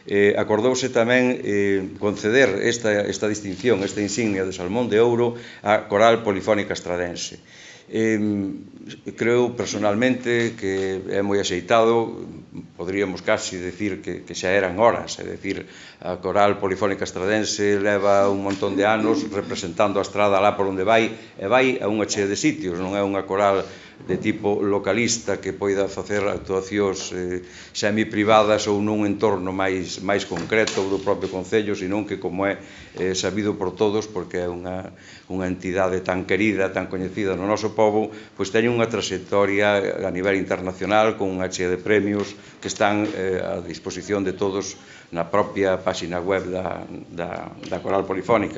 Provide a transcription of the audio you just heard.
acordouse tamén conceder esta distinción, esta insignia de Salmón de Ouro á Coral Polifónica Estradense. Creo personalmente que é moi axeitado, poderíamos casi decir que xa eran horas, é dicir, a Coral Polifónica Estradense leva un montón de anos representando a Estrada lá por onde vai, e vai a unha chea de sitios, non é unha coral de tipo localista que poida facer actuacións semiprivadas ou nun entorno máis concreto do propio Concello, senón que, como é sabido por todos, porque é unha entidade tan querida, tan coñecida no noso pobo, pois teñen unha trayectoria a nivel internacional con unha chea de premios que están a disposición de todos na propia páxina web da Coral Polifónica.